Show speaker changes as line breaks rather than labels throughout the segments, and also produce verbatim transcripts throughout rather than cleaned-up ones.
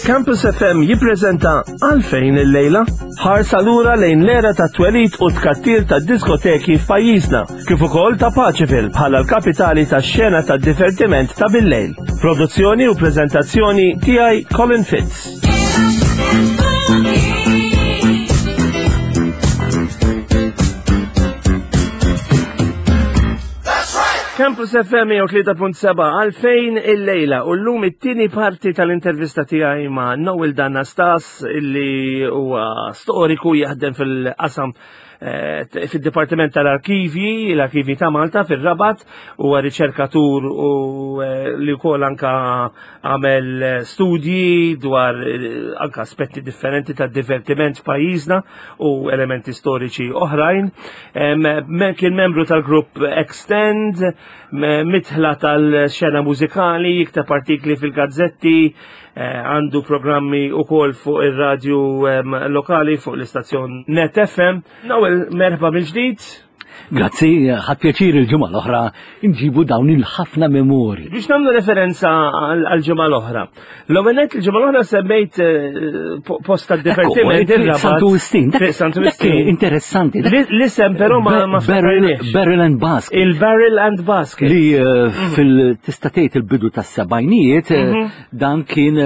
Campus F M jippreżenta Għalfejn il-lejla, ħarsa lura lejn l-era ta' twelid u tkattir ta' diskoteki f'pajjiżna, kif ukoll ta' Paceville bħala l-kapitali ta' xena ta' divertiment ta' bil-lejl. Produzzjoni u preżentazzjoni tiegħi, Colin Fitz. Campus F M mija u tlieta punt seba', Għalfejn il-lejla, u llum it-tieni parti tal-intervista tiegħi ma' Noel D'Anastas, illi huwa storiku jaħdem fil-qasam eh, fil-Dipartiment tal-Arkivji, l-Arkivji ta' Malta fil-Rabat, huwa riċerkatur u eh, li wkoll anka għamel studji dwar eh, anka aspetti differenti ta' divertiment f'pajjiżna u elementi storiċi oħrajn. Kien membru tal-grupp Extend, midħla tal-xena mużikali, jikteb artikli fil-gazzetti, eh, għandu programmi u kol fuq il-radju lokali fuq l-istazzjon Net F M. Noel, merħba mill-ġdid.
Grazzi, ħadt pjaċir il-ġimgħa l-oħra nġibu dawn il-ħafna memori.
Biex nagħmlu referenza għal-ġimgħa l-oħra. L-ewwel il-ġimgħa l-oħra semmejt eh, post ta' divertiment.
Santu Wistin.
Santu Wistin.
Interessanti.
L-isem però ma ma
Barrel and Basket.
Il-Barrel and Basket.
Li eh, mhm. fil-tista' tgħid il-bidu tas-sebgħinijiet eh, mhm. dan kien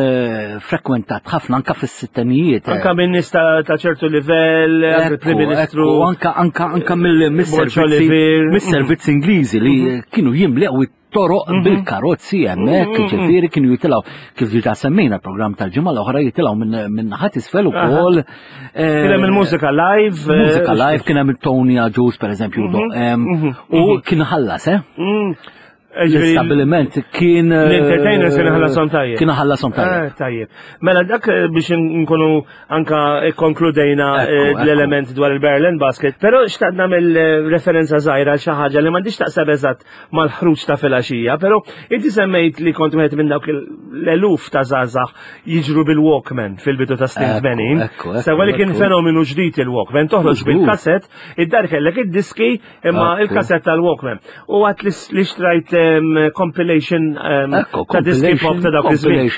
frekwentat ħafna anka fis-sittinijiet.
Anka minn nies ta' ċertu livell, il-Prim Ministru.
Anka anka anka mill-servizzi mis-servizzi Ingliżi li mhm. kienu jimlew it-toroq mhm. bil-karozzi hemmhekk, mhm. ġifieri kienu jitilgħu, kif ġiġa semmejna program tal-ġimgħa l-oħra, jitilgħu minn naħat isfel ukoll.
Eh, kien hemm il-mużika live.
Mużika eh, live, kien hemm il-Tony Agius, pereżempju, u kien ħallas, eh? Mm. L-istabiliment kien.
Eh, L-entertainers kien ħallasom tajjeb.
Kien ħallasom tajjeb.
Eh, tajjeb. Mela dak eh, biex nkunu anka konkludejna l-element dwar il-Berlin Basket, però xtaqt nagħmel referenza żgħira għal xi ħaġa li m'għandix taqseb eżatt mal-ħruġ ta' filgħaxija, però inti semmejt li kont wieħed minn dawk l-eluf ta' żgħażagħ jiġru bil-Walkman fil-bidu ta' snin tmenin. Sewa li kien fenomenu ġdid il-Walkman, toħroġ bil-kassett, id-dar kellek id-diski imma il-kassett tal-Walkman. U għat li xtrajt compilation ta' diski pop ta' dawk
iż-żmien.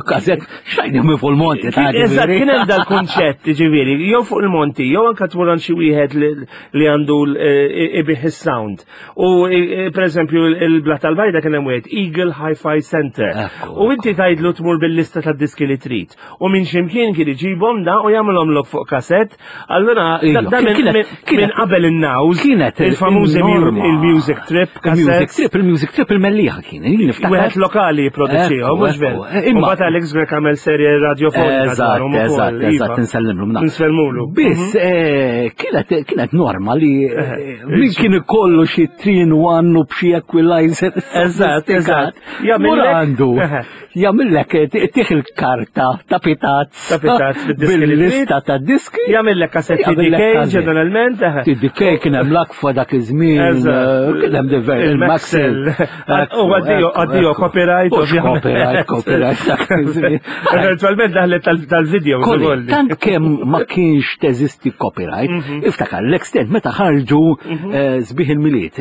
Kassett xajni minn fuq il-monti.
Eżatt, kien hemm dal-kunċett, ġifieri, jew fuq il-monti, jew anke tmur għand xi wieħed li għandu ibigħ is-sound. U per eżempju il-Blat tal-Bajda kien hemm wieħed Eagle Hi-Fi Center. U inti tgħidlu tmur bil-lista tad-diski li trid. U minn ximkien kien iġibhom da u jagħmilhom lok fuq kassett. Allura da minn qabel in-nows,
Kienet
il-famużi il-music trip.
Il-music trip, il-music trip il-Mellieħa kien.
Wieħed lokali produċihom, mhux veru. Imma mbagħad Alex Grech għamel serje radiofonika.
Eżatt, eżatt, eżatt, insellimlu.
Nsellmulu.
Biss, mhm. kienet kienet norma li min kien ikollu xi three in one u b'xi equalizer.
Eżatt, eżatt.
Jagħmel għandu. Jagħmillek tih il-karta ta' pitazz.
Ta' pitazz.
Bil-lista ta' diski.
Jagħmillek kassetti T D K ġeneralment.
T D K, kien hemm l-Agfa dak iż-żmien, kien hemm diver il-Maxell.
U għaddio, għaddio, copyright.
Copyright, copyright dak iż-żmien.
Eventualment daħlet tal-video.
Tant kemm ma kienx teżisti copyright, mhm. iftakar l-Extend meta ħarġu mhm. eh, Sbieħ il-Milied,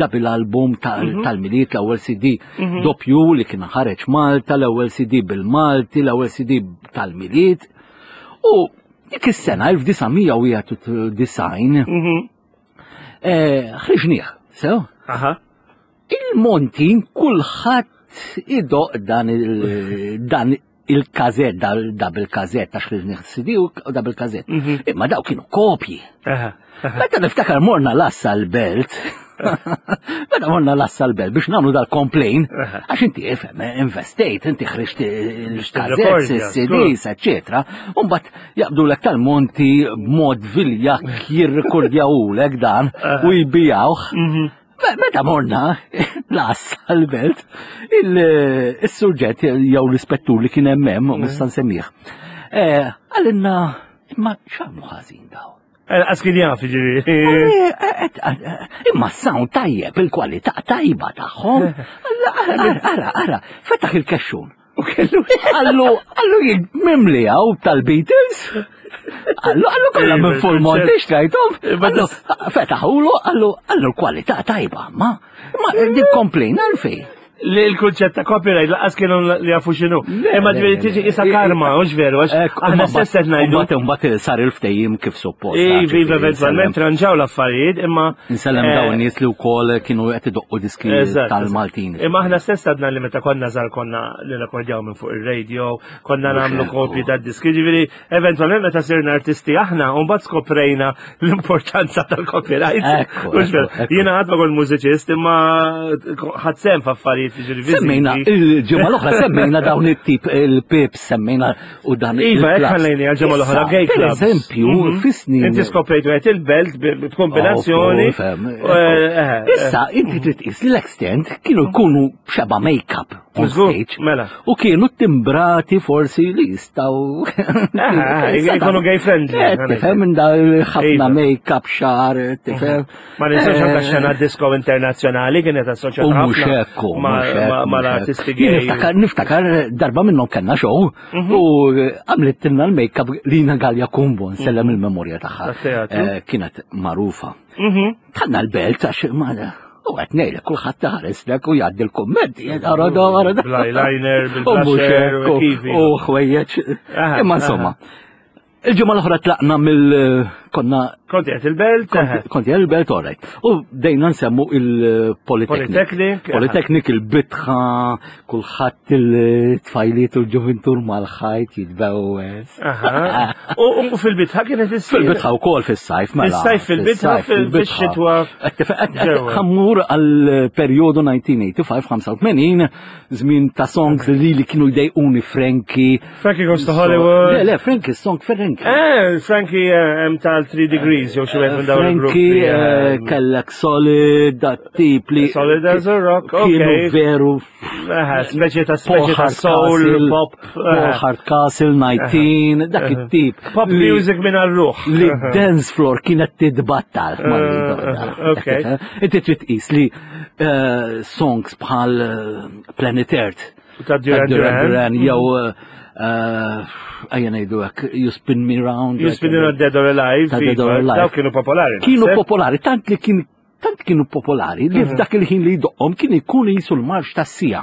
double album mhm. tal-Milied, l-ewwel C D doppju li kien ħareġ Malta, l-ewwel C D bil-Malti, l-ewwel C D tal-Milied. U dik is-sena elf disa' mija u wieħed u disgħin eh, ħriġnieh, sew? Il-Monti kulħadd idoqq dan il dan il-kassett, double kassett, għax ħriġnieh C D u double kassett. Mhm. Imma daw kienu kopji. Meta niftakar morna l-assa l-belt, meta morna l-assa l-belt biex nagħmlu dal-complain, għax inti ifhem, investejt, inti ħriġt il-kassett, il-C Ds, eccetera. Umbat jaqbdulek tal-Monti b'mod viljak jirrikordjawulek dan u jbijawh. Mhm. Meta morna l-assa l-belt, il-surġent jew l-ispettur li kien hemm hemm, nista' nsemmih. Eh, qalilna, imma x'għamlu ħażin daw?
Għas kien jaf, ġifieri.
Eh, eh, eh, Imma s-sound tajjeb, il-kwalità tajba tagħhom. Ara, ara, ara, fetaħ il-kexxun.
U kellu.
Għallu, għallu jien mimli għaw tal-Beatles. Għallu, għallu kollha minn full Monty xtrajthom. Għallu, fetaħulu, għallu, għallu l-kwalità tajba, ma, ma, din complain għalfej.
Li l-kunċett ta' copyright laqas kienu li jafu x'inhu. Imma ġifieri tiġi isa karma, mhux veru, għax aħna stess qed ngħidu.
Mbagħad mbagħad sar il-ftehim kif suppost.
Iva, iva, eventwalment ranġaw l-affarijiet, imma.
Insellem
eh,
dawn nies li wkoll kienu qed idoqqu diski
Eżatt,
tal-Maltin.
Imma aħna stess għadna li meta konna żgħar konna li rekordjaw minn fuq ir-radio, konna
Mhux
nagħmlu
hekk,
kopji ta' diski, ġifieri eventwalment meta sirna artisti aħna, u mbagħad skoprejna l-importanza tal-copyright.
Ekku,
Mhux veru.
ekku, ekku.
Jiena ħadd ma kont mużiċist, imma ħadd sem f'affarijiet jiġifieri viżivi.
Semmejna, il-ġimgħa l-oħra semmejna dawn it-tip il-pips, semmejna u dan
Iva, hekk
il-clubs.
ħallejni għal-ġimgħa l-oħra
Issa,
gay
Per
clubs.
eżempju,
Mhm.
fis-snin.
Inti skoprejt wieħed il-belt b'kombinazzjoni.
Oh, fem,
Eh, eh,
Issa, inti trid tqis l-extent kienu jkunu xeba make-up on
Żgur,
stage.
mela.
U kienu timbrati forsi li jistaw.
Eh, jkunu gay friendly.
Eh, Tifhem minn da ħafna
Iva.
make-up xar, tifhem.
Ma ninsawx anke
Eh,
xena disco internazzjonali kienet assoċjata
U mhux
ħafna
hekk, u
ma-
mhux hekk,
ma-
mhux
mal-artisti
hekk. Jien
gay.
Niftakar, niftakar darba minnhom kellna show
Mhm.
u għamlet l-make-up Lina Gallia Kumbo, nsellem il-memorja tagħha.
Tat-teatru.
Eh, Kienet magħrufa.
Mhm.
Tħanna l-belt għax ma u qed ngħidlek kulħadd taħares lek u jgħaddi l-kummenti, ara da, ara da.
Bl-eyeliner,
U mhux
bil-blusher,
hekk,
u kif.
u ħwejjeġ.
Aha,
Imma insomma, il-ġimgħa l-oħra tlaqna mill konna
Konti qed il-belt, eħe.
Konti il-belt, all right. U bdejna nsemmu il-Polytechnic.
Polytechnic, aha.
Polytechnic, il-bitħa, kulħadd il-tfajliet u l-ġuvintur mal-ħajt jitbewes.
Aha. U u fil-bitħa kienet issir.
Fil-bitħa u kol fil-sajf, mela.
Fis-sajf fil-bitħa, fil- fix-xitwa ġewwa.
Ħa mmur għal-periodu elf disa' mija ħamsa u tmenin, żmien ta' songs li li kienu jdejquni Frankie.
Frankie Goes to Hollywood.
Le, le, Frankie, song Frankie.
Eh, Frankie eh, hemm tal Three Degrees jew xi wieħed minn dawn il-gruppi.
Frankie, eh,
eh,
kellek Solid, dat tip li.
Solid as a Rock,
Kienu
okay.
veru.
Eħe, speċi ta'
Paul
speċi ta' soul,
Hardcastle,
pop.
Paul
eh,
Hardcastle, nineteen, dak it-tip.
Pop
li-
music minn għal-ruħ.
Li dance floor kienet titbattal.
Eh, okay.
Inti trid tqis li eh, songs bħal eh, Planet Earth.
Ta' Duran
ta' Duran
Duran.
Duran, jew eh, ejja ngħidu hekk, You Spin Me Round.
You Spin Me Round Dead or Alive.
Ta' Dead or
iva,
Alive.
Dawk kienu popolari.
Kienu
naħseb.
popolari, tant li kien tant kienu popolari li f'dak il-ħin li jdoqqhom kien ikun jisu l-marx tas-sija.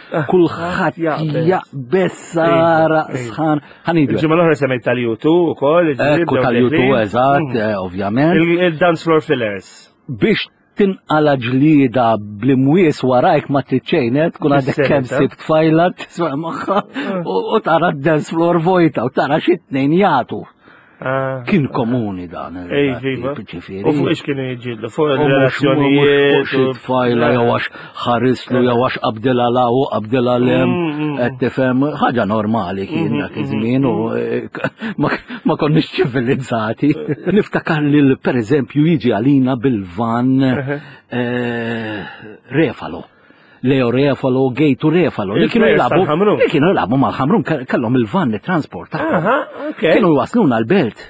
Kulħadd
jaqbeż.
jaqbeż sara
Iva, iva.
sħan. Ħa ngħidu.
Il-ġimgħa l-oħra semmejt tal-U two ukoll. ġifieri
Ekku
bdew
tal-U two
deħlin.
eżatt, eh, ovvjament.
Il- Il-dance floor fillers.
Biex tinqala ġlida bl-imwies warajk ma tridxejnet, tkun għadek
Bis-serjetà.
kemm sibt tfajla tisma' magħha u u tara d-dance floor vojta u tara xi tnejn jagħtu.
Ah.
Kien komuni dan.
Ej, iva.
Ġifieri.
U fuq ix kienu jiġġieldu, fuq
U mhux- mhux fuq
il-relazzjonijiet.
xi tfajla jew għax ħarislu jew għax qabdilha la u qabdilha lem,
Mm, mm.
qed tifhem ħaġa normali kien dak iż-żmien u eh, ma ma konniex ċivilizzati. Niftakar li pereżempju jiġi għalina bil-van eh, Refalo. Leo Refalo, Gejtu Refalo, li kienu
Il-players
jilagħbu
tal-Ħamrun.
li kienu jilagħbu mal-Ħamrun, kellhom il-van li transport tagħhom.
Aha, ok.
Kienu jwasluna l-belt.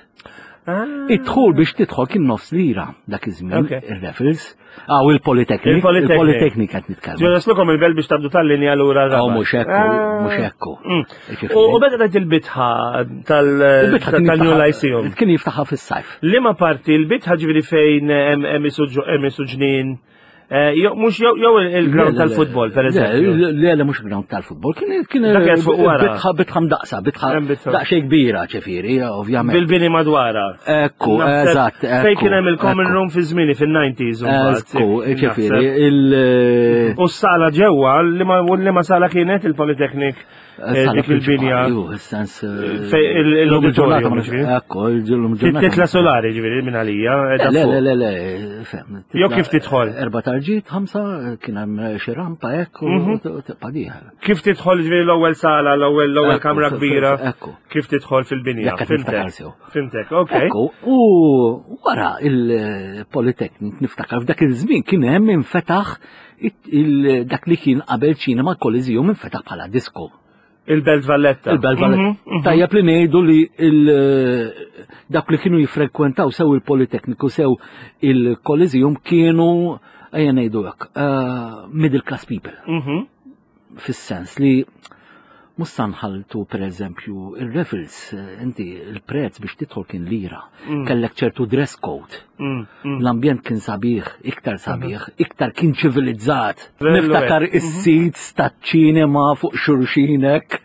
Ah.
Id-dħul biex tidħol kien nofs lira dak iż-żmien,
Ok.
ir-Raffles. Ah, u il-Polytechnic.
Il-Polytechnic.
Il-Polytechnic qed nitkellmu.
Ġew jaslukom il-belt biex tabdu tal-linja lura
Oh,
r-Rabat.
mhux hekk,
Ah.
mhux hekk.
Mm.
Ġifieri.
U u beda tajt il-bitħa tal-
Il-bitħa kien
tal-New
jiftaħha-
Lyceum.
Kien jiftaħha fis-sajf.
Liema parti il-bitħa ġifieri fejn hemm hemm isu ġo- hemm isu ġnien eh, jew mhux jew jew il-ground
Le, le,
tal-futbol, per
le,
eżempju.
Le, le, le, mhux ground tal-futbol. Kien kien
Dak kien fuq wara.
bitħa bitħa mdaqsa, bitħa
Hemm bitħa.
daqsxejn kbira ġifieri, ovvjament.
Bil-bini madwara.
Ekku,
Naħseb
eżatt,
Fejn
ekku.
kien hemm il-common
ekku.
room fi żmieni fin-nineties u mbagħad.
Ekku, ġifieri,
Naħseb.
il-
U s-sala ġewwa, li ma li ma sala kienet il-Polytechnic eh,
Sala
dik il-binja.
prinċipali, ju, sens
Fej il- l-auditorium, ġifieri.
Ekku, il-ġurnata.
Titla solari ġifieri minn għalija. eh, da
Le,
fuq.
le, le, le, fem.
Jew kif tidħol?
Erba tarġiet, ħamsa, kien hemm xi rampa hekk u
Mhm.
tibqa' dieħel.
Kif tidħol ġifieri l-ewwel sala, l-ewwel l-ewwel
Ekku,
kamra
f- f-
kbira?
ekku.
Kif tidħol fil-binja?
Jekk qed
Fimtek.
niftakar sew.
Fimtek, ok.
Ekku, u wara il-Polytechnic niftakar f'dak iż-żmien kien hemm infetaħ it- il- dak li kien qabel ċinema Coliseum infetaħ bħala disco.
Il-Belt Valletta.
Il-Belt Valletta.
Mhm, mhm.
Tajjeb li ngħidu li il- dak li kienu jiffrekwentaw sew il-Politecnico sew il-Coliseum kienu ejja ngħidu hekk, eh, middle class people.
Mhm.
Fis-sens li mhux sa nħalltu per eżempju il-Raffles, eh, inti il-prezz biex tidħol kien lira,
Mm.
kellek ċertu dress code.
Mm, mm.
L-ambjent kien sabiħ, iktar sabiħ, iktar kien ċivilizzat.
Vellu
Niftakar
hekk.
is-seats taċ-ċinema fuq xulxinek,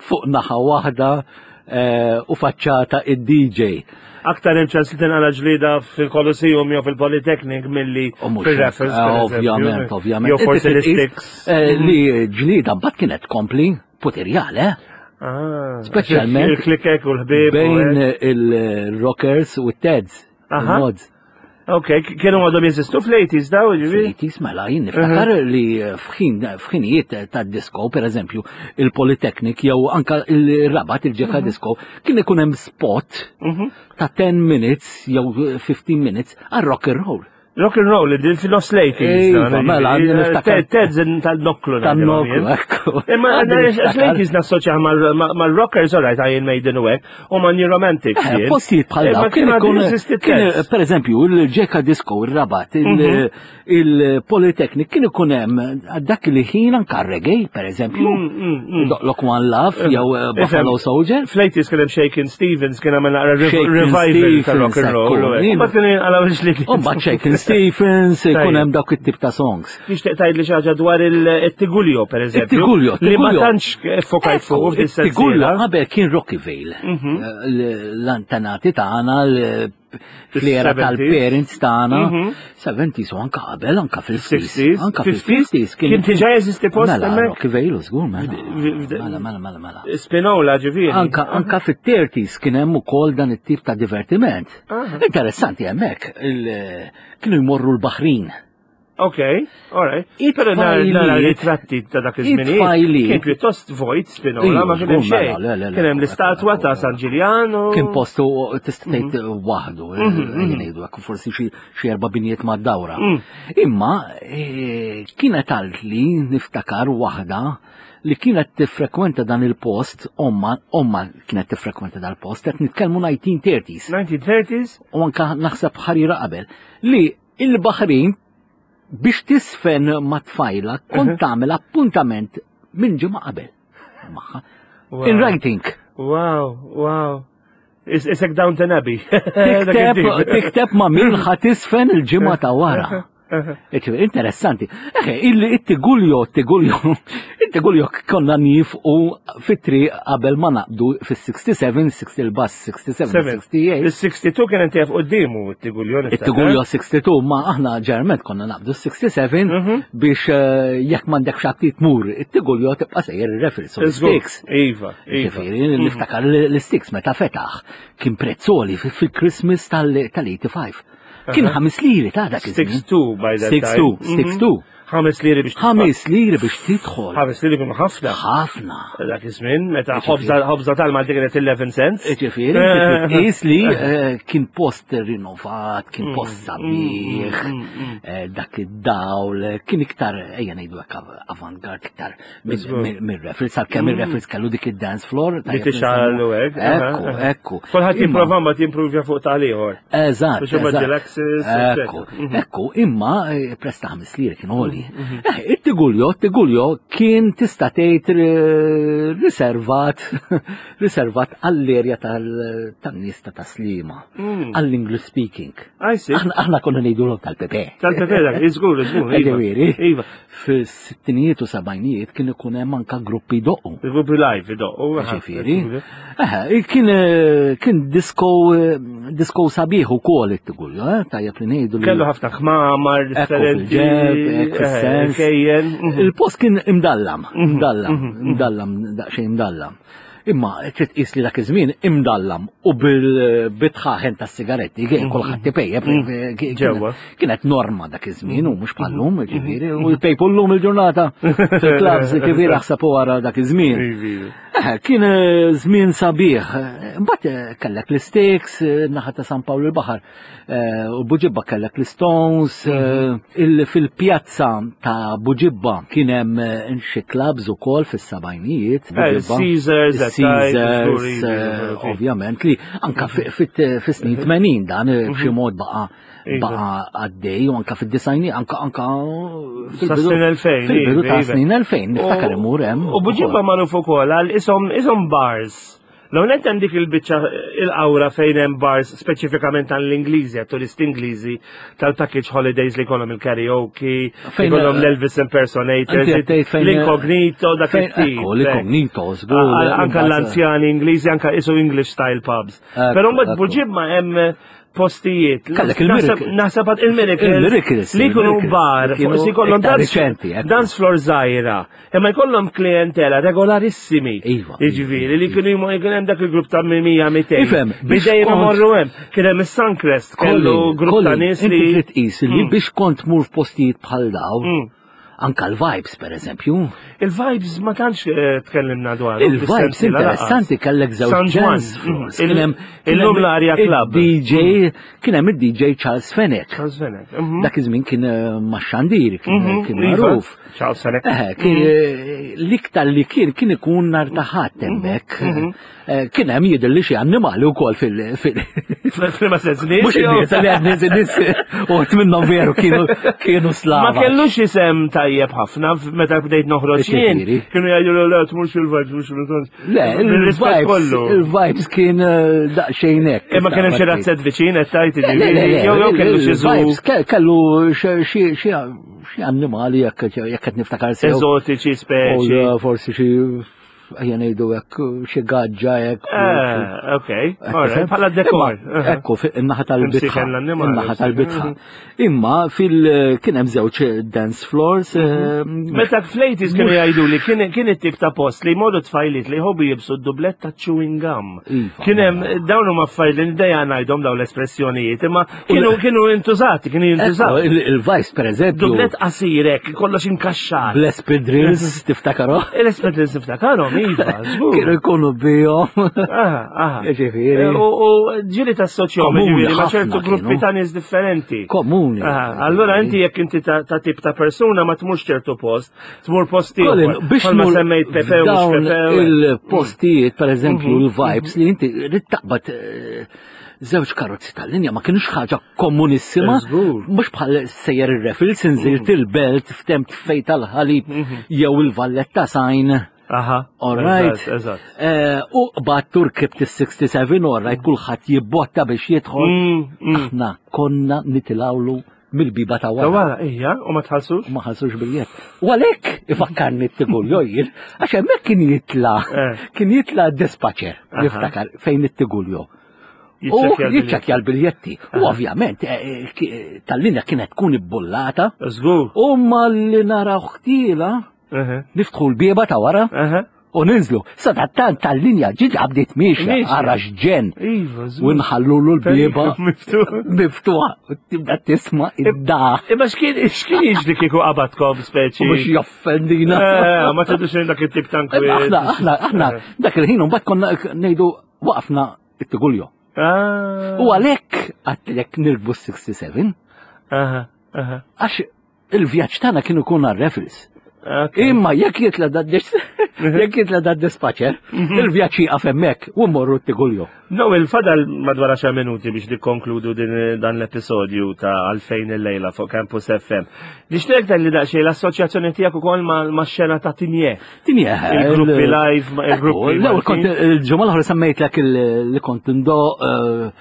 fuq naħa waħda eh, u faċċata id-D J.
Aktar hemm ċans li tinqala ġlida fil-Colosseum jew fil-Polytechnic milli
U mhux
fil-Raffles,
hekk,
per
eh,
eżempju.
Ovvjament, ovvjament.
Jew forsi
Inti trid
l-Sticks.
tqis, eh, Li ġlida mbagħad kienet kompli puterjale, eh?
Ah,
Speċjalment
il-klikek u l-ħbieb. u
bejn
hekk.
il-rockers u t-teds.
Aha.
Il-mods.
Ok, kienu għadhom jeżistu fl-eighties daw, ġifieri?
Fl-eighties, mela, jien niftakar li fħin, fħinijiet ta' disco, per eżempju, il-Polytechnic jew anka il-Rabat, il-Ġeka Disco, kien ikun hemm spot
Mhm.
ta' ten minutes jew fifteen minutes għal rock and roll.
Rock and roll, din fil-nofs l-eighties.
Iva, mela, għandi niftakar.
Teds tal-noklu.
Tan-noklu, ekku.
Imma
Għandi niftakar.
l-eighties nassoċja mal-rockers, all right, Iron Maiden u hekk, u ma' New Romantics.
Eh,
jien.
Postijiet bħal
Imma
dawn kien
kien
ikun
għadu jeżisti
kien,
Teds.
per eżempju, il-Ġeka Disco, il-Rabat,
Mhm.
il-Polytechnic kien ikun hemm dak li ħin anka reggae, per eżempju,
Mm, mm, mm.
Doqlok One Love jew eh, Buffalo Soldier.
Fl-eighties kien hemm Shakin' Stevens, kien għamel naqra
Shakin'
revival ta' rock and
Stevens,
roll. u
ekku.
hekk. Mbagħad kien għalaw ġlied.
U mbagħad Shakin' Stevens, ikun
Tajjeb.
hemm dawk it-tip ta' songs.
Nixtieq tgħid li xi ħaġa dwar il-Tigulio, per eżempju.
Il-Tigulio,
Li ma
Tigulio.
tantx fokajt fuq
Ekku, it-Tigulio
f'dis-sensiela.
qabel kien Rocky Vale.
Mhm.
Eh, L-antenati tagħna, fl-era
Fis-seventies.
tal-parents tagħna,
Mhm.
seventies u anka qabel, anka fil-sixties.
sixties,
Anka
fifties?
fil-fifties
Kien diġà jeżisti post
Mela,
hemmhekk?
Rocky Vale, żgur, mela.
Fd- fd-
Mela, mela, mela, mela.
Spinola ġifieri.
Anka, anka fit-thirties kien hemm ukoll dan it-tip ta' divertiment.
Aha.
Interessanti hemmhekk, il- kienu jmorru l-Baħrin.
Ok, all right.
It-tfajliet-
Però nara nara ritratti ta' dak iż-żminijiet.
It-tfajliet-
Kien pjuttost vojt Spinola,
Iju,
ma kien hemm
żgur, mela,
xejn.
le, le, le,
Kien hemm l-istatwa ta' San Ġiljan.
Kien postu tista' tgħid waħdu,
Mhm,
ngħidu hekk forsi xi xi erba' binjiet mad-dawra.
Mm.
Imma eh, kienet għalt li niftakar waħda li kienet tiffrekwenta dan il-post, omma, omma kienet tiffrekwenta dal-post, qed nitkellmu nineteen thirties
nineteen thirties?
U anka naħseb ħarira qabel, li il-Baħrin biex tisfen ma tfajla kont tagħmel appuntament minn ġimgħa qabel magħha.
Wow.
In writing.
Wow, wow. Is isek Downton Abbey.
Tikteb, tikteb ma' min ħa tisfen il-ġimgħa ta' wara. Iċ- Interessanti. Eħe, il-Tiguljo, Tiguljo, il-Tiguljo konna nifqu fit-triq qabel ma naqbdu fis-sixty-seven, sixty il-bus sixty-seven, sixty-eight.
Il-sixty-two kien inti quddiemu it-Tiguljo. niftakar.
Il-Tiguljo sixty-two, ma aħna ġerment konna naqbdu sixty-seven
Mhm.
biex eh, jekk m'għandek xabti tmur, it-Tiguljo tibqa' sejjer il-Raffles u
Żgur.
l-Sticks.
Iva, iva.
Ġifieri, niftakar l-Sticks meta fetaħ kien prezzoli fil-Christmas tal-eighty-five. Kien ħames liri ta' dak iż-żmien.
sixty-two by that time.
sixty-two, sixty-two.
Ħames liri biex tidħol.
Ħames liri biex tidħol.
Ħames liri kienu ħafna.
Ħafna.
Dak iż-żmien meta ħobża ħobża tal-Malti kienet eleven cents.
Ġifieri, tqis li eh, kien post rinnovat, kien post sabiħ, eh, dak id-dawl, kien iktar, ejja ngħidu hekk avant-garde iktar mir-Raffles, għalkemm ir-Raffles kellu dik id-dance floor.
Li tixgħal u hekk.
Ekku, ekku.
Kulħadd
Imma-
jipprova mbagħad jimprovja fuq tal-ieħor.
Eżatt.
Biex huma
eżatt.
Gelaxis,
Ekku,
eccetera.
ekku, imma eh, prezz ta' ħames liri kien għoli. Eh, It-Tiguljo, it-Tiguljo kien tista' tgħid eh, riservat riservat għall-erja tal- tan-nies ta' Taslima,
Mm.
għall-English speaking.
I see.
Aħna aħna konna ngħidulhom tal-Pepe.
Tal-Pepe dak, iżgur, iżgur. Iva.
Ġifieri,
Iva.
fis-sittinijiet u sebgħinijiet kien ikun hemm anka gruppi doqqu.
Il-gruppi live idoqqu.
Ġifieri. Eh, kien eh, kien disco eh, disco sabiħ ukoll it-Tiguljo, eh, tajjeb li ngħidu li
Kellu ħafna kmamar
Ekku
differenti.
fil-ġeb, ekku
eh,
fis-sens.
Kejjen. mhm.
Il-post kien imdallam, imdallam, imdallam, daqsxejn imdallam. Imma trid tqis li dak iż-żmien imdallam u bil-bitħaħen tas-sigaretti kien kulħadd ipejjep. kien-
Ġewwa.
Kienet norma dak iż-żmien u mhux bħallum, ġifieri, u jpejpu llum il-ġurnata fil-clubs, ġifieri aħseb wara dak iż-żmien.
Iva.
Eh, kien eh, żmien sabiħ. Eh, Mbagħad eh, kellek l-Sticks, eh, naħa ta' San Pawl il-Baħar, eh, u Buġibba kellek l-Stones, eh, il- fil-pjazza ta' Buġibba kien hemm eh, xi clubs ukoll fis-sebgħinijiet.
Eh,
Buġibba.
Caesars, that type,
Caesars,
żgur, iva,
eh,
iva.
ovvjament li anka fi- fit- fis-snin tmenin dan eh, b'xi mod baqa'
Iva.
baqa' għaddej u anka fid-disgħini anka anka
Sa snin elfejn,
fil-bidu
iva,
ta'
iva.
snin elfejn niftakar imur hemm.
U Buġibba magħruf ukoll għal isom isom bars. L-għonet hemm dik il-biċċa il-awra fejn hemm bars speċifikament għall-Ingliżi, għat-turisti Ingliżi tal-package holidays li jkollhom il-karaoke,
Fejn-
jkollhom l-Elvis impersonators,
Inti qed tgħid fejn-
l-incognito, dak
Fejn-
it-tip.
Ekku, l-incognito, żgur.
Anka l-anzjani Ingliżi, anka isu English style pubs.
Ekku,
Però mbagħad
ekku.
Buġibba hemm postijiet.
Kellek
Naħseb-
il-Miracle.
Naħseb għad il-Miracles.
Il-Miracles,
Li jkunu
il-Miracles.
bar,
Kienu
forsi jkollhom
iktar
dance-
riċenti, ekku.
dance floor żgħira. Imma jkollhom klientela regolarissimi.
Iva.
Jiġifieri li kienu jmu kien hemm dak il-grupp ta' mija mitejn.
Ifhem, biex
Bidejjem
kont-
imorru hemm. Kien hemm is-Suncrest, kellu grupp ta' nies
Inti
li.
trid tqis li biex kont tmur f'postijiet bħal daw,
Mm.
anka l-vibes per eżempju.
Il-vibes ma tantx eh, tkellimna dwar.
Il-vibes interessanti kellek żewġ
San Juan.
dance floors.
Mm.
Kien hemm- kien
Illum
hemm
l-Arja Club.
Il-D J, kien hemm il-D J Charles Fenech.
Charles Fenech. Mhm.
Dak iż-żmien kien eh, max-xandir, kien
Mhm,
kien
iva.
magħruf.
Charles Fenech.
Eh, kien eh, l-iktar li kien kien ikun nar ta' Ħadd hemmhekk. Eh, Kien hemm jidher li xi annimali wkoll fil- fil-
Fil-ma sens nies,
Mhux
jew-
in-nies, li għad nies nies uħt minnhom veru kienu kienu slava.
Ma kellux isem tajjeb ħafna meta bdejt noħroġ jien.
Ġifieri.
Kienu jgħidu le tmurx il-vibes, mhux il-vibes.
Le,
Bir-rispett
il-vibes,
kollu.
il-vibes kien eh, daqsxejn hekk.
Imma kien hemm xi razzett viċin qed tgħid
Le, le, le,
jiġifieri, jew jew kellu xi zoo
il-vibes ke- kellu xi xi- xi xi annimali jekk jekk qed niftakar sew.
eżotiċi
U
speċi.
eh, forsi xi ejja ngħidu hekk xi gaġġa hekk.
Eh, ok, alright, bħala dekor.
Imma, Ekku, fi- in-naħa tal-bitħa.
Imsiken l-annimali.
In-naħa tal-bitħa. Imma fil kien hemm żewġ dance floors. eh,
Meta fl-eighties kienu jgħidu li kien kien it-tip ta' post li jmorru tfajliet li jħobbu jibsu d-dublett ta' chewing gum.
Iva.
Kien hemm dawn huma affarijiet li dejja ngħidhom dawn l-espressjonijiet, imma kienu kienu intużati, kienu
Ekku,
jintużati.
il- Il-Vice per eżempju.
Dublett qasirek, kollox inkaxxat.
Bl-espadrilles, tiftakaru?
Il-espadrilles niftakarhom, iva, żgur.
Kienu jkunu bihom.
Aha, aha.
Ġifieri.
U u ġieli tassoċjahom
Komuni
ġifieri ma'
ħafna
ċertu gruppi
kienu.
ta' nies differenti.
Komuni.
Aha, allora inti jekk inti ta' ta' tip ta' persuna ma tmurx ċertu post, tmur post
Colin,
ieħor.
biex
Bħalma
tmur
semmejt Pepe u mhux
dawn
Pepe.
il-postijiet, per eżempju, il-vibes li inti rrid taqbad eh, żewġ karozzi tal-linja ma kienux ħaġa komunissima.
Żgur.
Mhux bħal sejjer ir-Raffles inżilt il-Belt ftemt fejn tal-ħalib jew il-Valletta Sign.
Aha.
All right.
Eżatt, eżatt.
Eh, U qbadt u rkibt is-sixty-seven, all right, kulħadd jibbotta biex jidħol.
Mm, mm.
Aħna konna nitilgħulu mill-biba ta'
Ta'
wara.
wara, ija, u ma tħallsux?
Ma ħallsux biljett. U għalhekk ifakkarni t-Tiguljo jien, għax hemmhekk kien jitla,
Eh.
kien jitla dispatcher,
Aha.
niftakar fejn it-Tiguljo. U
Jiċċekkja l-biljetti.
jiċċekkja l-biljetti. U ovvjament, eh, eh, ki- tal-linja kienet tkun ibbullata,
Żgur.
u ma li naraw ħtila,
Aha.
niftħu l-bieba ta' wara
Aha.
u ninżlu. Sadattant tal-linja ġiġa bdiet miexja,
Miexja.
ara x'ġen.
Iva,
U
żgur.
nħallulu l-bieba
Miftuħ.
miftuħa. U tibda tisma' id-da.
Imma x'kien x'kien jiġri kieku qabadkom speċi?
U biex joffendina.
Eh, ma tridux dak it-tip ta'
Imma
nkwiet.
Aħna, aħna, aħna, dak il-ħin mbagħad konna ngħidu waqfna it-Tiguljo.
Ah.
U għalhekk għedtlek nirkbu sixty-seven,
Aha, aha.
għax il-vjaġġ tagħna kien ikun għar-Raffles.
Ok.
Imma jekk jitla da jekk jitla da dispatcher, il-vjaġġ jieqaf hemmhekk u mmorru t-Tiguljo.
No, il-fadal madwar għaxar minuti biex nikkonkludu din dan l-episodju ta' Għalfejn il-lejla fuq Campus F M. Nixtieq li daqsxejn l-assoċjazzjoni tiegħek ukoll ma' ma' xena ta' Tigné.
Tigné.
Il-gruppi live, ma- il-gruppi
L-ewwel kont
Maltin.
il-ġimgħa l-oħra semmejtlek il- li kont indoqq eh,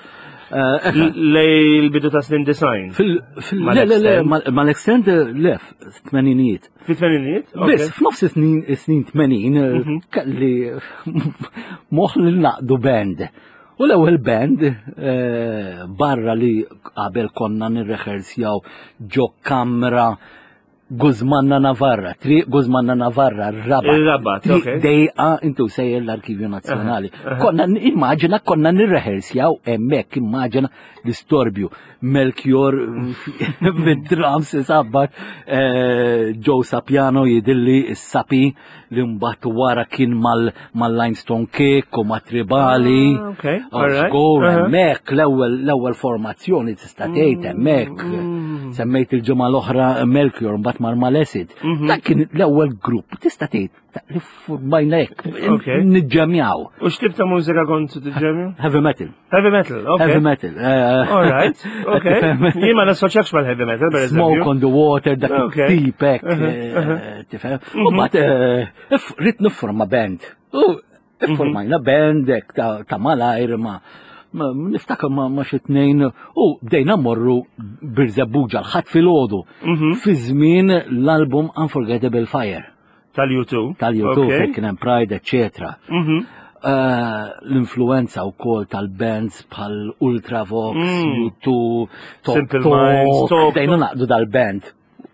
eh,
Lej il-bidu ta' snin disgħin.
Fil, fil,
Ma'
le, le, le,
l-extend?
ma l-extend, le, tmeninijiet.
Fi tmeninijiet?
Biss, f'nofs snin snin tmenin,
Mhm.
kelli moħ li naqdu band. U l-ewwel band, eh, barra li qabel konna nirrehearsjaw ġo kamra Guzmanna Navarra, Triq Guzmanna Navarra, Rabat.
Il-Rabat,
Triq
ok.
Dejqa intu sejjer l-Arkivju Nazzjonali. Konna immaġina konna nirrehearsjaw hemmhekk, immaġina l-istorbju. Melchior bid-drums isabbat, eh, Joe Sapiano jidilli s-sapi li mbagħad wara kien mal- mal-Limestone Cake u ma' Tribali.
Ah, ok,
Oh,
all right.
Żgur,
Uh-huh.
hemmhekk l-ewwel l-ewwel formazzjoni tista' tgħid hemmhekk.
Mm.
Semmejt il-ġimgħa l-oħra Melchior mbagħad mar Malesid.
Mhm.
Dak kien l-ewwel grupp tista' tgħid ta' li formajna hekk
Ok.
niġġemjaw.
U x'tip ta' mużika kont tiġġemju?
Heavy metal.
Heavy metal, ok.
Heavy metal. eh,
All right, ok. Jien ma nassoċjakx mal-heavy metal, per
Smoke
eżempju.
on the water, dak
Ok.
it-tip hekk,
Uh-huh,
eh,
uh-huh.
tifhem. U mbagħad eh, if- ridt nifforma band. U iffurmajna band hekk ta' ta' malajr ma ma- niftakar ma ma xi tnejn u bdejna mmorru Birżebbuġa l-Ħadd filgħodu
Mhm.
fi żmien l-album Unforgettable Fire
Tal-U two.
tal-U two
Ok.
fejn kien hemm Pride, eccetera.
Mhm.
Eh, L-influenza wkoll tal-bands bħal Ultravox,
Mm.
U two, Top
Simple
Talk,
Minds, Talk.
bdejna naqdu dal-band.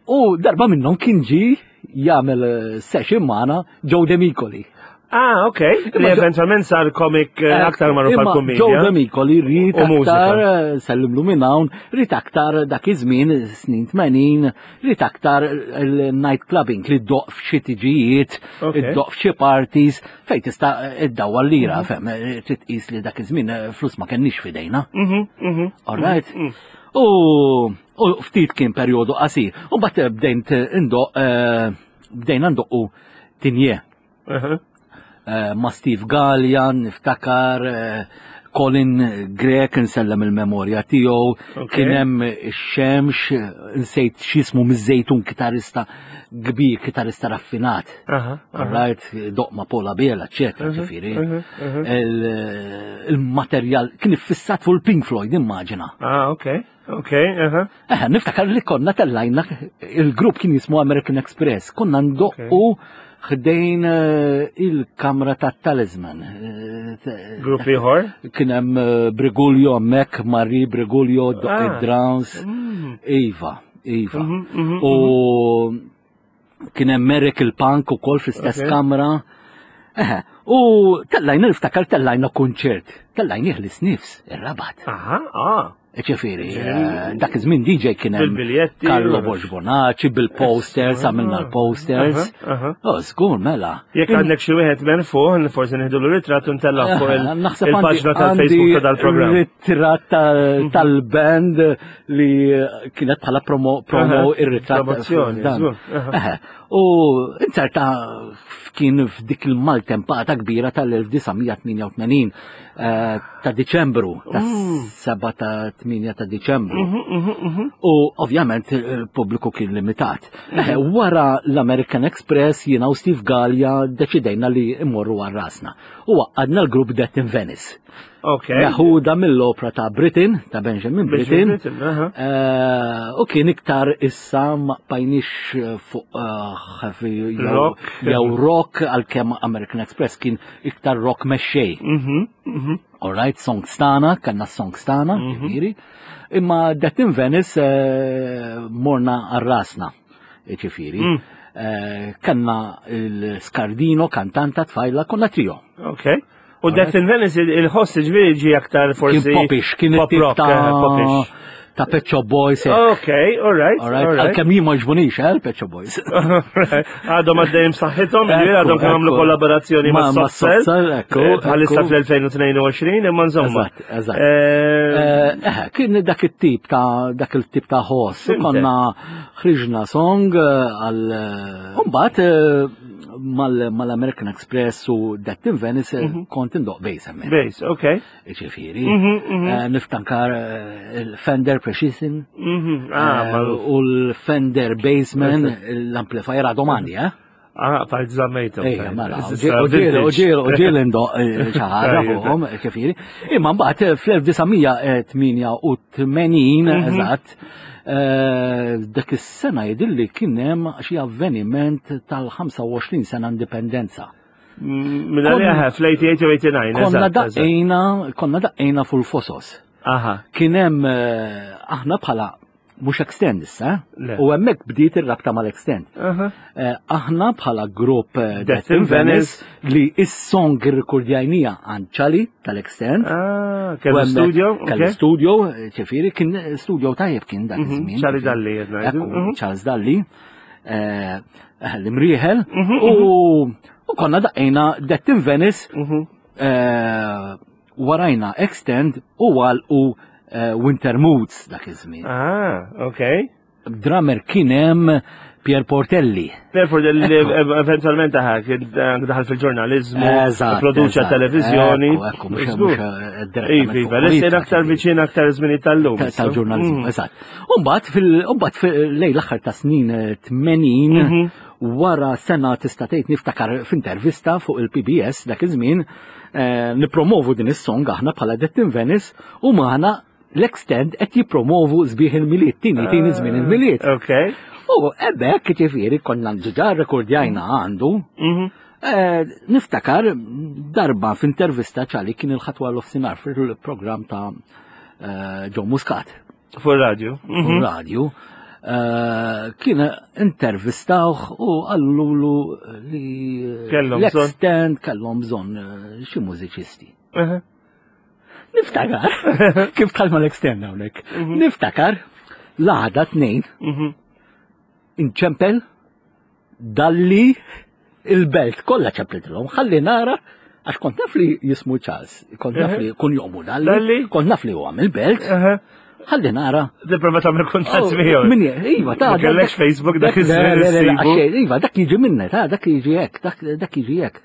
U darba minnhom kien ġi jagħmel eh, session magħna Joe Demicoli.
Ah, ok. Li
Imma Joe-
eventualment sar komik eh, aktar magħruf
Imma
għal
Joe
kumedja.
Demicoli ried
U mużika.
aktar, eh, sellimlu minn hawn, ried aktar dak iż-żmien, snin tmenin, ried aktar il-night clubbing li ddoqq f'xi tiġijiet,
Ok.
iddoqq f'xi parties, fejn tista' iddawwa lira, fem, eh, trid tqis li dak iż-żmien eh, flus ma kenniex f'idejna.
Mhm, mhm.
All right? U u ftit kien perjodu qasir. U mbagħad bdejnt indoqq eh, bdejna ndoqqu Tigné
Uh-huh.
eh, ma' Steve Gallian, niftakar, eh, Colin Grek, nsellem il-memorja tiegħu,
Ok.
kien hemm ix-Xemx, nsejt x'ismu miż-Żejtun kitarista kbir, kitarista raffinat.
Aha, aha.
All right, doqq ma' Paul Abela, eccetera,
Mhm,
ġifieri.
mhm, mhm.
Il- Il-materjal kien iffissat fuq il-Pink Floyd, immaġina.
Ah, ok. Ok, aha.
Eh, niftakar li konna tellajna, il-grupp kien jismu American Express, konna ndoqqu ħdejn eh, il-kamra ta' Talisman. Eh, t-
Grupp ieħor.
Kien hemm eh, Brigulio hemmhekk, Marie Brigulio, doqq
Ah.
id-drums.
Mm.
Iva, Iva.
Mhm, mhm,
U kien hemm Merrick il-Punk ukoll fl-istess
Ok.
kamra. Eh, u tellajna niftakar tellajna kunċert. Tellajna l-Sniffs, ir-Rabat.
Aha, ah.
Ġifieri, eh, dak iż-żmien D J kien hemm
Bil-biljetti.
Carlo Borg Bonacci bil-posters, għamilna l-posters.
Aha, aha.
Oh, żgur, mela.
Jekk għandek xi wieħed merfuħ, forsi nieħdu l-ritratt u ntella' fuq il-
Naħseb
il-paġna
għandi-
tal-Facebook ta' dal-programm.
għandi ritratt ta- tal-band li kienet bħala promo, promo
Aha,
ir-ritratt.
promozzjoni,
dan.
żgur, aha.
Eħe, U inzerta kien f'dik il-maltempata kbira tal-elf disa' mija tmienja u tmenin eh, ta' Diċembru, ta'
Mm.
seba ta' tmienja ta' Diċembru.
Mhm, mhm, mhm.
U ovvjament il-pubbliku kien limitat. Eh, Wara l-American Express jiena u Steve Gallia deċidejna li immorru għal rasna. U għadna l-grupp Death in Venice.
Ok.
Meħuda mill-opra ta' Britten, ta' Benjamin Britten.
Britten, aha.
Eh, U kien iktar issa ma bqajniex fuq eh, heavy jew-
Rock.
jew rock għalkemm American Express kien iktar rock mexxej.
Mhm, mhm.
All right, songs tagħna, kellna songs tagħna, ġifieri. Imma Death in Venice eh, morna għal rasna, ġifieri.
Mm.
Eh, Kellna il-Scardino, kantanta tfajla, konna trio.
Ok. U Death in Venice il-ħoss ġifieri ġi aktar forsi.
Kien popish, kien
pop
it-tip
rock,
ta'
eh, popish.
ta' Pet Shop Boys. eh.
Ok, all right,
All right,
all right.
għalkemm jien ma jogħġbunix, eh, l-Pet Shop Boys.
Għadhom għaddejjem saħħithom, ġifieri għadhom kemm għamlu
Ekku.
kollaborazzjoni ma'
Ma- ma'
Soft Cell.
Soft Cell, ekku,
Eh, Bħalissa
ekku.
fl-elfejn u tnejn u għoxrin, imma insomma.
Eżatt, eżatt.
Eh,
Eh, eh, kien dak it-tip ta' dak il-tip ta' ħoss. U
Fhimtek.
Konna ħriġna song eh, għal Mbagħad eh, mal- mal-American Express u Death in Venice eh, kont indoqq bass hemmhekk.
Bass, ok.
Ġifieri.
Mhm, mhm.
Eh, Niftakar eh, il-Fender Precision
Mhm, Ah,
eh,
magħruf.
u l-Fender Bassman, l-amplifier għadhom għandi, eh?
Ah, fajt żammejthom.
Ejja, mela,
Issa
u ġieli, u ġieli, u ġieli ndoqq xi ħaġa
Tajjeb.
fuqhom, ġifieri. Imma mbagħad fl-elf disa' mija tmienja u tmenin, eżatt, eh, dak is-sena jidhirli kien hemm xi avveniment tal-ħamsa u għoxrin sena indipendenza.
Minn għalija fl-tmienja u tmenin u tmienja u disgħin.
Konna
eżatt, eżatt.
daqqejna, konna daqqejna fuq il-Fosos.
Aha.
Kien hemm eh, aħna bħala Mhux Extend issa, u hemmhekk bdiet ir-rabta mal-Extend. Eh, aħna bħala grupp eh, Death in Venice li is-song irrikordjajnija għand Ċali tal-Extend.
Ah, kellu studio?
Kellu studio, ġifieri kien studio tajjeb kien dak mhm, iż-żmien.
Ċali Dalli,
mhm. Charles Dalli, eh, l-imrieħel, mhm, u konna daqqejna Death in Venice, warajna Extend u għal u eh, Winter Moods dak iż-żmien.
Ah, ok.
Drummer kien hemm Pier Portelli.
Pier Portelli li eventualment daħal daħal fil-ġurnalizmu, produċa televizjoni.
Ekku, mhux mhux
Iva, iva, l aktar viċin aktar żmien tal-lum.
Tal-ġurnalizmu, mm. eżatt. Umbagħad fil-mbagħad lejn l-aħħar ta' snin tmenin eh, mhm. wara sena tista' tgħid niftakar f'intervista fuq il-P B S dak iż-żmien eh, nipromovu din is-song aħna bħala Death in Venice u maħna l-Extend qed jippromovu Sbieħ il-Milied, tini tini żmien il-Milied.
Ok.
U hemmhekk ġifieri konna diġà rekordjajna għandu.
Mhm.
Eh, niftakar darba f'intervista Ċali kien il-Ħadd wara nofsinhar fil-programm ta' eh, Joe Muscat.
Fuq radio.
Fuq radio. Eh, kien intervistawh u qallulu li
Kellhom bżonn.
l-Extend kellhom bżonn eh, xi mużiċisti.
Mhm.
Niftakar, kif dħalt mal-Extend hawnhekk. Niftakar l-għada tnejn
Mhm.
inċempel Dalli il-Belt kollha ċemplitilhom, ħalli nara għax kont naf li jismu Charles, kont naf li kun jomu Dalli,
Dalli?
kont naf li huwa mill-Belt, ħalli nara.
Tipprova tagħmel kuntatt miegħu.
Min iva, ta'
Ma kellekx Facebook dak iż-żmien
Le, le, le,
issibu.
għax, iva, dak jiġi minna, ta' dak jiġi hekk, dak dak jiġi hekk.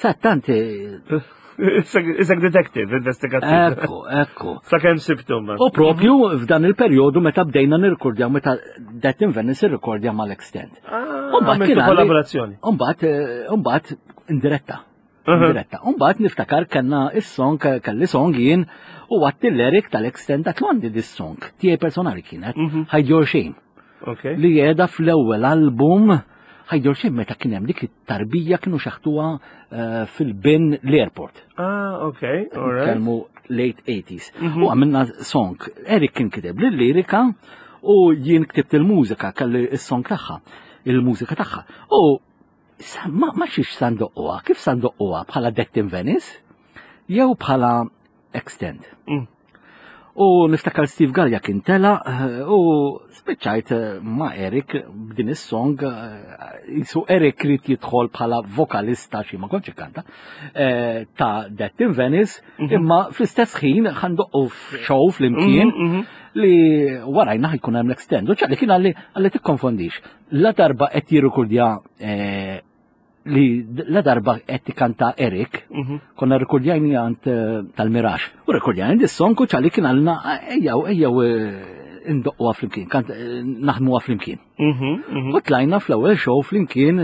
Sa tant, eh,
Isek detective, investigattiv.
Ekku, ekku.
Sa kemm sibtu ma.
U propju f'dan il-perjodu meta bdejna nirrekordjaw, meta Death in Venice irrekordja mal-Extend.
Ah,
Umbagħad
għamiltu
kien għalli-
kollaborazzjoni.
Umbagħad, eh, umbagħad indiretta.
Uh-huh.
Indiretta. Umbagħad niftakar kellna is-song, kelli song jien u għedt lil Eric tal-Extend għedt għandi dis-song. Tiegħi personali kienet,
Mhm.
Hide Your Shame.
Ok.
Li qiegħda fl-ewwel album Hide Your Shame meta kien hemm dik it-tarbija kienu xaħtuha eh, fil-bin l-airport.
Ah, ok, all right.
Kelmu late eighties. U għamilna song. Eric kien kiteb l-lirika u jien ktibt il-mużika, kelli il-song tagħha, il-mużika tagħha. U sa- ma, ma xiex sa ndoqquha, kif sa ndoqquha, bħala Death in Venice jew bħala Extend?
Mm.
U niftakar Steve Gallia kien tela eh, u spiċċajt eh, ma' Eric b'din is-song eh, jisu Eric ried jidħol bħala vokalista xi ma kontx kanta eh, ta' Death in Venice, imma fl-istess ħin ħa ndoqqu f'show flimkien
Mhm, mhm.
li warajna ħa jkun hemm l-Extend. U Ċali kien qalli qalli tikkonfondix. La darba qed jirrikordja eh, li la darba qed tikanta Eric,
Mhm.
konna rekordjajni għand eh, tal-Mirax. U rekordjajni dis-song u Ċali kien qalilna ejjew ejjew eh, indoqquha flimkien, kant eh, naħdmuha flimkien.
Mhm, mhm.
U tlajna fl-ewwel show flimkien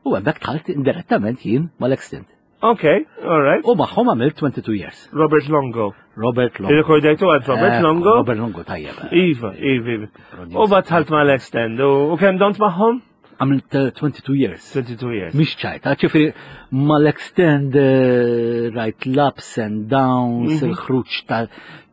u hemmhekk dħalt indirettament jien mal-Extend.
Ok, all right.
U magħhom għamilt twenty-two years.
Robert Longo.
Robert Longo.
Irrekordjajtu għand Robert
Ekku,
Longo?
Robert Longo tajjeb.
Iva, iva, iva. U dħalt mal-Extend. U u kemm domt magħhom?
Għamilt eh, twenty-two years.
twenty-two years.
Mhix ċajta, ġifieri mal-Extend eh, rajt l-ups and downs,
Mhm.
il-ħruġ ta'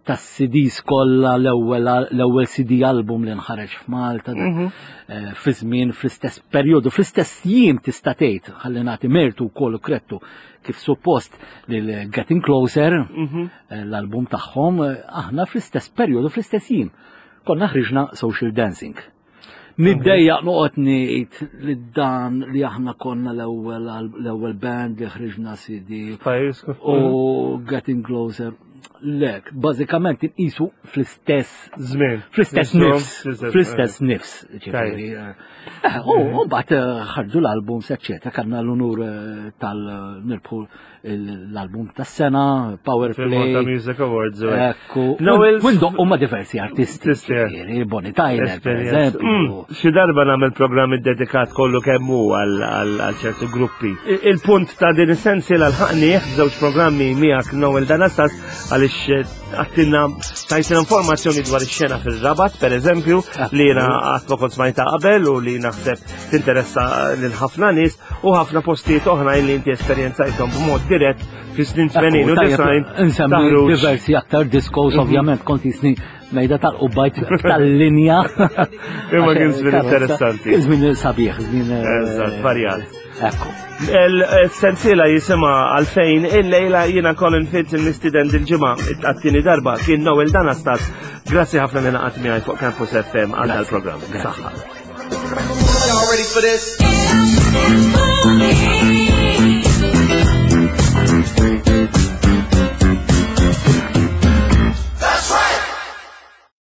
tas-C Ds kollha, l-ewwel l-ewwel C D album li nħareġ f'Malta,
Mhm.
eh, fi żmien fl-istess perjodu, fl-istess jiem tista' tgħid, ħalli nagħti mertu wkoll u krettu kif suppost lil Getting Closer,
Mhm.
eh, l-album tagħhom, eh, aħna fl-istess perjodu, fl-istess jiem. Konna ħriġna Social Dancing. Niddejjaq noqgħod ngħid li dan li aħna konna l-ewwel l-ewwel band li ħriġna C D
Pajjiż.
u Getting Closer. Lek, bażikament inqisu fl-istess
Żmien.
fl-istess
Żmien,
nifs,
fl-istess-
fl-istess nifs, ġifieri. Eh, U mbagħad eh, ħarġu l-albums, eċċetera, kellna l-unur eh, tal nirbħu l-album tas-sena, Power
Fil-Malta
Play.
Music Awards. u hekk.
Ekku,
Noel-
u ndoqqu ma' diversi artisti,
Artisti, eh.
ġifieri, Bonnie Tyler, per
Esperjenza.
eżempju.
Mm, Xi darba nagħmel programm iddedikat kollu kemm hu għal għal ċertu gruppi. Il-punt ta' din is-sensiela lħaqnieh f'żewġ programmi miegħek, Noel D'Anastas, għaliex Għaliex eh, għattilna tajtina informazzjoni dwar ix-xena fir-Rabat, per eżempju, li jiena qatt ma kont smajta qabel u li naħseb tinteressa lil ħafna nies u ħafna postijiet oħra li inti esperjenzajthom b'mod dirett fis-snin tmenin u disgħin.
Nsemmi diversi aktar diskos, mhm. ovvjament, kont jisni mejda tal-qubbajt tal-linja.
Imma kien żmien interessanti.
Kien żmien sabiħ, żmien. Eh,
Eżatt, varjat. Ekku. Il-sensiela jisimha Għalfejn il-lejla. Jiena Colin Fitz, il-mistiden dil-ġimgħa għat-tieni darba kien Noel Danastas. Grazzi ħafna li ngħaqadt miegħi fuq Campus F M għal dal-programm. Saħħa. Y'all ready for this?